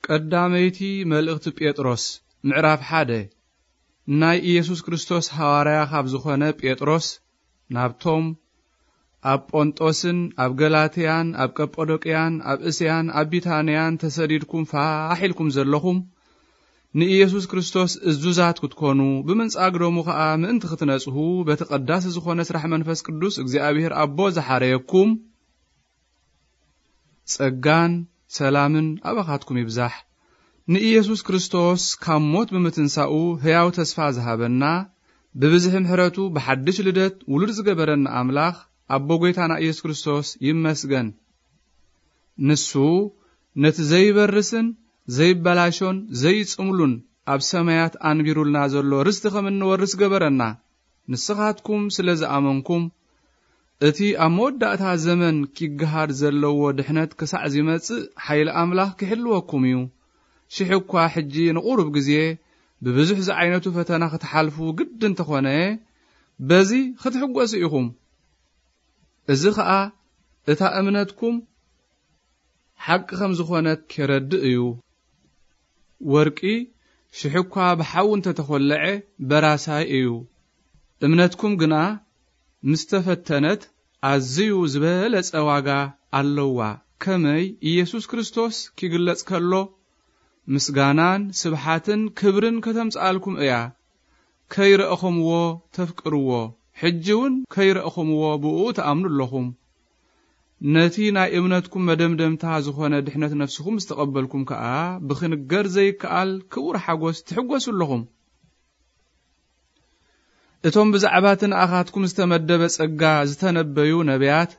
ቀዳመይቲ መልእኽቲ ጴጥሮስ፣ ምዕራፍ ሓደ። ናይ ኢየሱስ ክርስቶስ ሃዋርያ ካብ ዝኾነ ጴጥሮስ፣ ናብቶም ኣብ ጶንጦስን ኣብ ገላትያን ኣብ ቀጶዶቅያን ኣብ እስያን ኣብ ቢታንያን ተሰዲድኩም ፋሕ ኢልኩም ዘለኹም፣ ንኢየሱስ ክርስቶስ እዙዛት ክትኮኑ፣ ብምንጻግ ደሙ ኸኣ ምእንቲ ክትነጽሁ፣ በቲ ቀዳሲ ዝኾነ ስራሕ መንፈስ ቅዱስ እግዚኣብሔር ኣቦ ዝሓረየኩም፣ ጸጋን ሰላምን ኣባኻትኩም ይብዛሕ። ንኢየሱስ ክርስቶስ ካብ ሞት ብምትንሳኡ ሕያው ተስፋ ዝሃበና፣ ብብዝሒ ምሕረቱ ብሓድሽ ልደት ውሉድ ዝገበረና ኣምላኽ፣ ኣቦ ጐይታና ኢየሱስ ክርስቶስ ይመስገን። ንሱ ነቲ ዘይበርስን ዘይበላሾን ዘይጽምሉን ኣብ ሰማያት ኣንቢሩልና ዘሎ ርስቲ ከም እንወርስ ገበረና። ንስኻትኩም ስለ ዝኣመንኩም፣ እቲ ኣብ መወዳእታ ዘመን ኪገሃድ ዘለዎ ድሕነት ክሳዕ ዚመጽእ፣ ሓይሊ ኣምላኽ ኪሕልወኩም እዩ። ሽሕ እኳ ሕጂ ንቑሩብ ግዜ ብብዙሕ ዝዓይነቱ ፈተና ክትሓልፉ ግዲ እንተኾነ፣ በዚ ክትሕጎሱ ኢኹም። እዚ ኸኣ እታ እምነትኩም ሓቂ ከም ዝኾነት ኬረድእ እዩ። ወርቂ ሽሕ እኳ ብሓዊ እንተተኾለዐ በራሳይ እዩ። እምነትኩም ግና ምስ ተፈተነት ኣዝዩ ዝበለጸ ዋጋ ኣለዋ። ከመይ ኢየሱስ ክርስቶስ ኪግለጽ ከሎ፣ ምስጋናን ስብሓትን ክብርን ከተምጽኣልኩም እያ። ከይረእኹምዎ ተፍቅርዎ፣ ሕጂ እውን ከይረእኹምዎ ብእኡ ትኣምኑ ኣለኹም። ነቲ ናይ እምነትኩም መደምደምታ ዝኾነ ድሕነት ነፍስኹም ዝተቐበልኩም ከኣ፣ ብኽንገር ዘይከኣል ክቡር ሓጎስ ትሕጎሱ ኣለኹም። እቶም ብዛዕባ እቲ ንኣኻትኩም ዝተመደበ ጸጋ ዝተነበዩ ነቢያት፣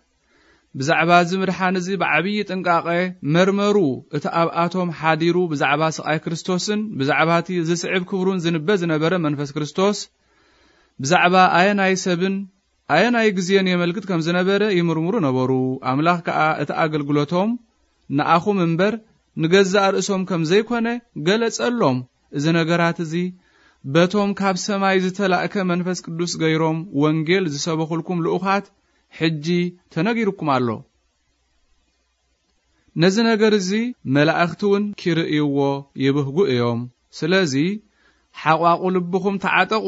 ብዛዕባ እዚ ምድሓን እዚ ብዓብዪ ጥንቃቐ መርመሩ። እቲ ኣብኣቶም ሓዲሩ ብዛዕባ ስቓይ ክርስቶስን ብዛዕባ እቲ ዝስዕብ ክብሩን ዝንበ ዝነበረ መንፈስ ክርስቶስ፣ ብዛዕባ ኣየናይ ሰብን ኣየናይ ግዜን የመልክት ከም ዝነበረ ይምርምሩ ነበሩ። ኣምላኽ ከኣ እቲ ኣገልግሎቶም ንኣኹም እምበር ንገዛእ ርእሶም ከም ዘይኮነ ገለጸሎም። እዚ ነገራት እዚ በቶም ካብ ሰማይ ዝተላእከ መንፈስ ቅዱስ ገይሮም ወንጌል ዝሰበኹልኩም ልኡኻት ሕጂ ተነጊሩኩም ኣሎ። ነዚ ነገር እዚ መላእኽቲ እውን ኪርእይዎ ይብህጉ እዮም። ስለዚ ሓቋቑ ልብኹም ተዓጠቑ፣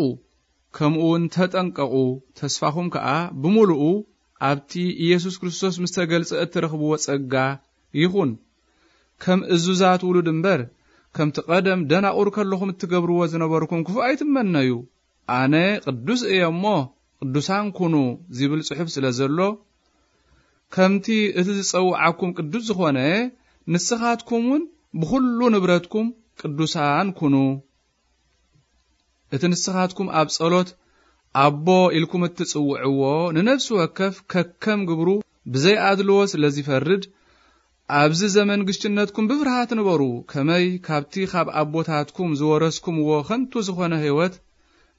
ከምኡ እውን ተጠንቀቑ። ተስፋኹም ከኣ ብምሉኡ ኣብቲ ኢየሱስ ክርስቶስ ምስ ተገልጸ እትረኽብዎ ጸጋ ይኹን። ከም እዙዛት ውሉድ እምበር፣ ከምቲ ቀደም ደናቑር ከለኹም እትገብርዎ ዝነበርኩም ክፉእ ኣይትመነዩ። ኣነ ቅዱስ እየ እሞ ቅዱሳን ኩኑ ዚብል ጽሑፍ ስለ ዘሎ፣ ከምቲ እቲ ዝጸውዓኩም ቅዱስ ዝኾነ፣ ንስኻትኩም እውን ብኹሉ ንብረትኩም ቅዱሳን ኩኑ። እቲ ንስኻትኩም ኣብ ጸሎት ኣቦ ኢልኩም እትጽውዕዎ፣ ንነፍሲ ወከፍ ከከም ግብሩ ብዘይ ኣድልዎ ስለ ዚፈርድ፣ ኣብዚ ዘመን ግሽነትኩም ብፍርሃት ንበሩ። ከመይ ካብቲ ካብ ኣቦታትኩም ዝወረስኩምዎ ኸንቱ ዝኾነ ህይወት፣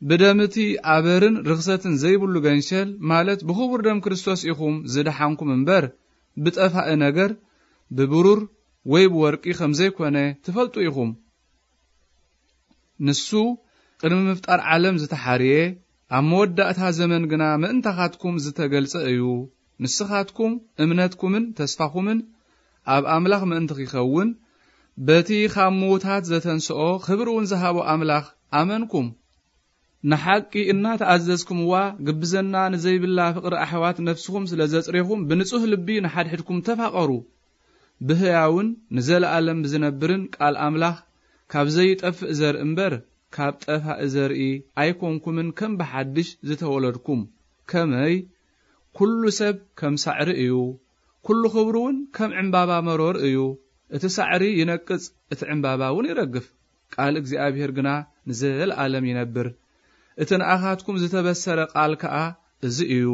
ብደም እቲ ኣበርን ርኽሰትን ዘይብሉ ገንሸል፣ ማለት ብኽቡር ደም ክርስቶስ ኢኹም ዝደሓንኩም እምበር፣ ብጠፋኢ ነገር፣ ብብሩር ወይ ብወርቂ ከም ዘይኮነ ትፈልጡ ኢኹም። ንሱ ቅድሚ ምፍጣር ዓለም ዝተሓርየ፣ ኣብ መወዳእታ ዘመን ግና ምእንታኻትኩም ዝተገልጸ እዩ። ንስኻትኩም እምነትኩምን ተስፋኹምን ኣብ ኣምላኽ ምእንቲ ኺኸውን፣ በቲ ኻብ ምዉታት ዘተንስኦ፣ ኽብሪ እውን ዝሃቦ ኣምላኽ ኣመንኩም። ንሓቂ እናተኣዘዝኩምዋ፣ ግብዝና ንዘይብላ ፍቕሪ ኣሕዋት ነፍስኹም ስለ ዘጽሬኹም፣ ብንጹህ ልቢ ንሓድሕድኩም ተፋቐሩ። ብህያውን ንዘለኣለም ብዝነብርን ቃል ኣምላኽ፣ ካብ ዘይጠፍእ ዘርኢ እምበር፣ ካብ ጠፋኢ ዘርኢ ኣይኮንኩምን፣ ከም ብሓድሽ ዝተወለድኩም። ከመይ? ኩሉ ሰብ ከም ሳዕሪ እዩ፣ ኩሉ ኽብሩ እውን ከም ዕምባባ መሮር እዩ። እቲ ሳዕሪ ይነቅጽ፣ እቲ ዕምባባ እውን ይረግፍ፣ ቃል እግዚኣብሔር ግና ንዘለኣለም ይነብር። እቲ ንኣኻትኩም ዝተበሰረ ቃል ከኣ እዚ እዩ።